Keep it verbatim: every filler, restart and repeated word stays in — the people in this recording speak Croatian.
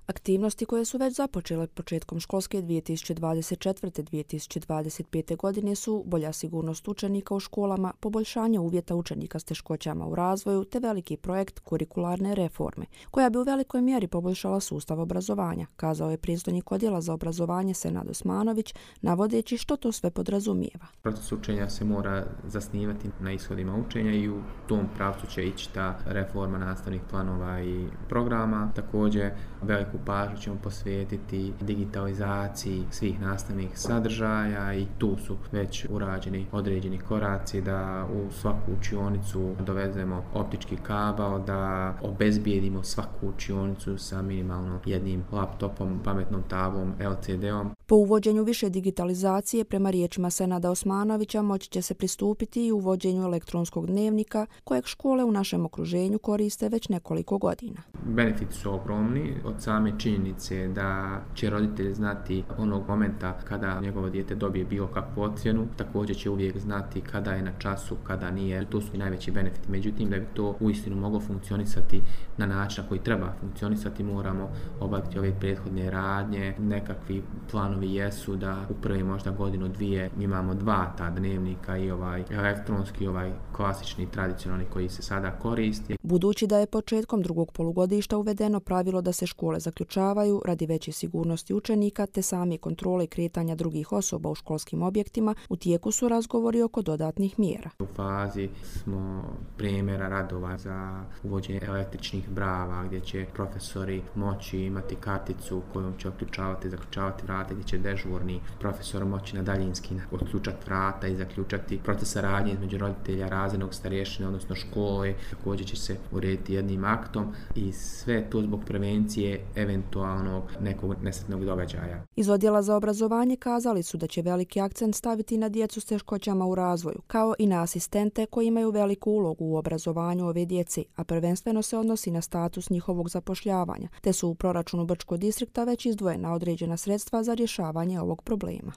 Aktivnosti koje su već započele početkom školske dvije tisuće dvadeset četvrte do dvije tisuće dvadeset pete. godine su bolja sigurnost učenika u školama, poboljšanje uvjeta učenika s teškoćama u razvoju te veliki projekt kurikularne reforme, koja bi u velikoj mjeri poboljšala sustav obrazovanja, kazao je predstojnik Odjela za obrazovanje Senad Osmanović, navodeći što to sve podrazumijeva. Proces učenja se mora zasnivati na ishodima učenja i u tom pravcu će ići ta reforma nastavnih planova i programa. Također, veliku pažnju ćemo posvetiti digitalizaciji svih nastavnih sadržaja i tu su već urađeni određeni koraci da u svaku učionicu dovezemo optički kabel, da obezbijedimo svaku učionicu sa minimalno jednim laptopom, pametnom tablom, el ce de-om. Po uvođenju više digitalizacije, prema riječima Senada Osmanovića, moći će se pristupiti i uvođenju elektronskog dnevnika, kojeg škole u našem okruženju koriste već nekoliko godina. Benefiti su ogromni od same činjenice da će roditelj znati onog momenta kada njegovo dijete dobije bilo kakvu ocjenu, također će uvijek znati kada je na času, kada nije. To su i najveći benefiti. Međutim, da bi to uistinu moglo funkcionisati na način na koji treba funkcionisati, moramo obaviti ove prethodne radnje. Nekakvi planovi jesu da u prvi možda godinu dvije imamo dva ta dnevnika, i ovaj elektronski, ovaj klasični, tradicionalni koji se sada koristi. Budući da je početkom drugog polugodišta uvedeno pravilo da se škole zaključavaju radi veće sigurnosti učenika te same kontrole kretanja drugih osoba u školskim objektima, u tijeku su razgovori oko dodatnih mjera. U fazi smo primjera radova za uvođenje električnih brava gdje će profesori moći imati karticu kojom će otključavati i zaključavati vrata, gdje će dežurni profesor moći na daljinski otključati vrata i zaključati proces saradnje između roditelja, razrednog, starješine, odnosno škole. Također će se urediti jednim aktom i sve to zbog prevencije eventualnog nekog nesretnog događaja. Iz Odjela za obrazovanje kazali su da će veliki akcent staviti na djecu s teškoćama u razvoju, kao i na asistente koji imaju veliku ulogu u obrazovanju ove djece, a prvenstveno se odnosi na status njihovog zapošljavanja, te su u proračunu Brčkog distrikta već izdvojena određena sredstva za rješavanje ovog problema.